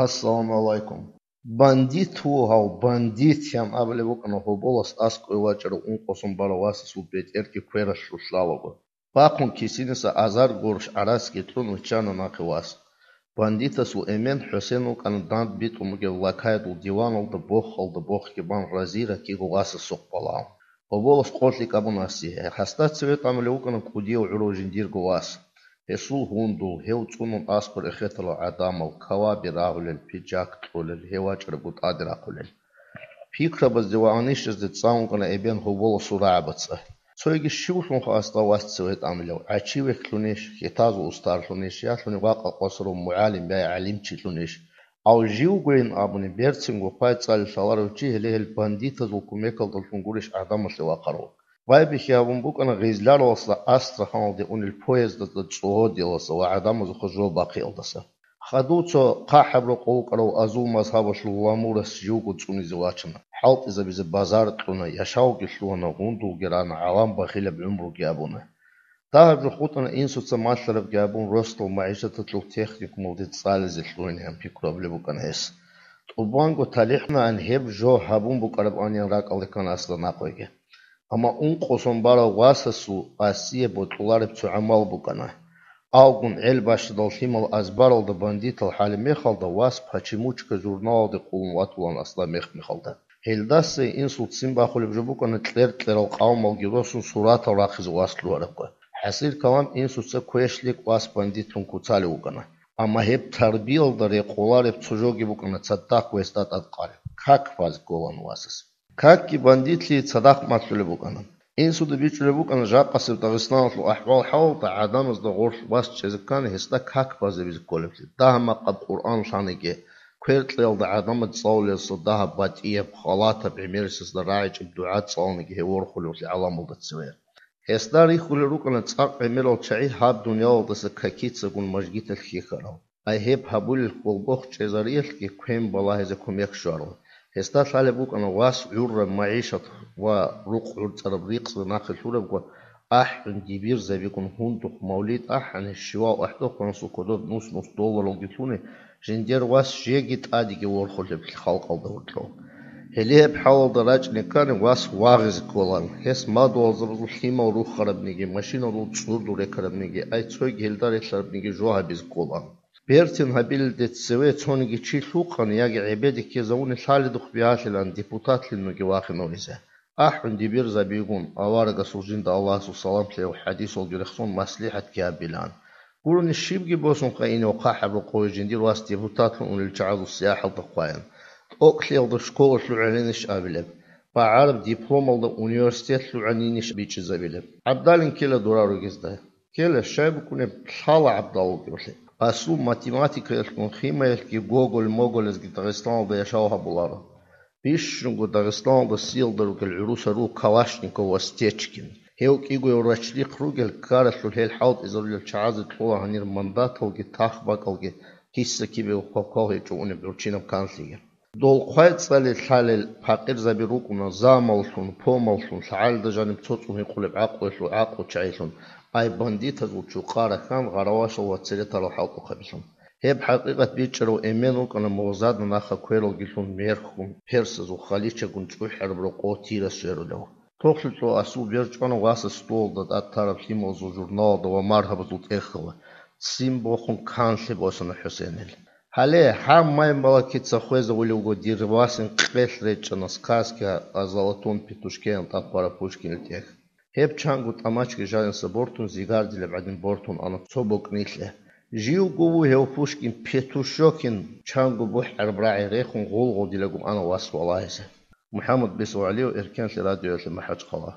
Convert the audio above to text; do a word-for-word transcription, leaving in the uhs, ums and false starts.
Ассаламу гӀалайкум. Бандит вугьав, бандит, ян абулеб букӀана гьоболас аскӀове вачӀарав ункъо сон барав васасул бетӀерги квералъур лъалаго. Бахъун кисиниса азар гурущ гӀарацги кьун виччана нахъе вас. Бандитасул эмен ХӀусен вукӀана данд битӀун бугеб лакаядул диваналда бохалда бохги бан разира киго васасухъ балагьун. Гьоболас къо лъикӀабун асие. Гьасда цеве тӀамулев вукӀана кӀудияв гӀурав жиндирго вас. Гьесул гьундул, гьев цӀунун аскӀор эхетарал гӀадамал, каваби рагьулел, пиджак кьолел, гьев вачӀарабго тӀаде рахъулел. Пикрабазде ва анищазде цӀа ункъана эбен гьоболасул рагӀабаца. Цойги щивлъунха асда вас цеве тӀамилав, гӀачи вехьлъунищ, хитазул устарлъунищ, ялъуни вакъа къосарав мугӀалим я гӀалимчилъунищ? Ав живгойин абуни, берцинго хъвай цӀали лъаларав чи гьеле гьел бандитазул кумекалдалъун гурищ гӀадамалъе вахъарав. Байбихьи гьабун букӀана гъизларалдаса Астраханалде унел поездазда цӀогьодиялдаса ва гӀадамазухъа жо бахъиялдаса. Хадув цо хъахӀаб рокъов вукӀарав азул мазгьабалъул ламурас живго цӀунизе вачана, хӀалтӀизабизе базар кьуна, яшавги лъугьана, гьундулги рана, гӀалам бахилаб гӀумруги абуна. Дагьаб жо хутӀана инсуца малъарабги абун, росдал магӀишаталъул техникумалде цӀализе лъугьинегӀан пикру гьабулеб букӀана гьес. ТӀубанго талихӀнаан гьеб жо гьабун букӀарабани ракӀалде ккана асда нахъеги. Амма ункъо сон барав васасул асие бокьулареб цо гӀамал букӀана. Алгун гӀел бащадал лъимал азбаралда бандитал хӀалеб мехалда вас «Почемучка» журналалде къулун ватулаан асда мех-мехалда. Гьелдаса инсул ццин бахулеб жо букӀана кьер-кьерал къавмалги росун суратал рахъизе вас лъугьарабго. ХӀасил-калам инсуца квешлъи кӀвас бандитлъун куцалев вукӀана. Амма гьеб тарбиялда рекъолареб цо жоги букӀана цадахъ гьесда тӀадкъалеб. Как базе кколаан васас. Какги бандитлъи цадахъ малъулеб букӀана. Инсуда бичӀчӀулеб букӀана жакъасеб Дагъистаналъул ахӀвал-хӀалалда гӀадамазда гъорлъ вас чӀезе ккани гьесда как базабизе кколеблъи. Дагьа-макъаб Къуръан лъаниги, квер-кьеялда гӀадамаз цӀалулелдаса дагьаб батӀияб, халатаб гӀемерисезда рагӀичӀеб дугӀа цӀаланиги гьев ворхулевлъи гӀаламалда цеве. Гьесда рихьулел рукӀана цӀакъ гӀемерал чагӀи гьаб дуниялалдаса какицагун мажгиталъ хьихьарал. Ай гьеб гьабулел хьолбохъ чӀезариялъги квен балагьизе кумек щварал. Гьесда лъалеб букӀана вас гӀурраб магӀишат ва рукъ гӀурцӀараб ризкъи нахъе лъурабго, ахӀун дибирзабигун гьундухъ мавлид ахӀани, щивав ахӀдохъанасул кодоб нус-нус долларалги лъуни, жиндир вас жеги тӀадеги ворхулеб халкъалда гьоркьов. Гьеле гьеб хӀалалда рачӀине ккани вас вагъизе кколаан, гьес мадугьалзабазул лъимал рухарабниги, машиналъул цӀурду рекарабниги, ай цойги гьелда релълъарабниги жо гьабизе кколаан. Бертин гьабилелде цеве цониги чи лъукъани яги гӀебеде ккезавуни лъалидухъ бигьалъилан депутатлъун вугев вахинав гьезе. АхӀун дибирзабигун, аварагасул жинда Аллагьасул салам лъеяв хӀадисалги рехсон маслихӀатги гьабилан. Гурони щибги босун къайинав хъахӀаб рокъове жиндир вас депутатлъун унел чагӀазул сияхӀалда хъваян. ТӀокӀлъиялда школа лъугӀанинищ абилеб? БагӀараб дипломалда университет лъугӀанинищ бичӀчӀизабилеб? ГӀабдалин ккела дора ругезда. Ккела, щай букӀунеб лъала гӀабдал вукӀиблъи. Асул математикаялъгун химаялъги гоголь-моголезги Дагъистаналда яшав гьабуларо. Бищунго Дагъистаналда сиялда ругел гӀурусал ру Калашников ва Стечкин. Гьев кӀигояв рачлихъ ругел ккаралъул гьел хӀалтӀизарулел чагӀазе кьола гьанир мандаталги тахбакӀалги, киса-кибего квалквал гьечӀо унеб гӀурччинаб канлъиги. Дол хъвай цӀали лъалел пакъирзаби рукӀуна замаллъун, помаллъун, лъагӀалида жаниб цо цӀун гьикъулеб гӀакълуялъул гӀакълу чагӀилъун, ай бандитазул чукъа рахьан гъаравашал ва церетарал хӀалтӀухъабилъун. Гьеб хӀакъикъат бичӀчӀарав эмен вукӀана мугъзадна наха квералгилъун мерхьун, персазул халичагун чӀухӀараб рокъов Тира сверулев. Тохлъи цо асул бер чӀвана васас столалда тӀад тараб лъималазул журналалда ва маргьабазул тӀехьалда, ццин бохун канлъи босана ХӀусенил. Гьале, гьаб май-малакица хвезавулев вуго дир васин къелъ речӀчӀана сказка о золотом петушкеян тӀад хъвараб Пушкинил тӀехь. Гьеб чанго тӀамачги жаниса бортун зигардилеб гӀадин бортун ана цо бокӀнилъе. Живго вугев Пушкин Петушокин чанго бухӀараб рагӀи рехун гъулгъулдилаго ана вас валагьизе. МухӀаммад Бесо ГӀалиев, Эркенлъи радиоялъе, МахӀачхъала.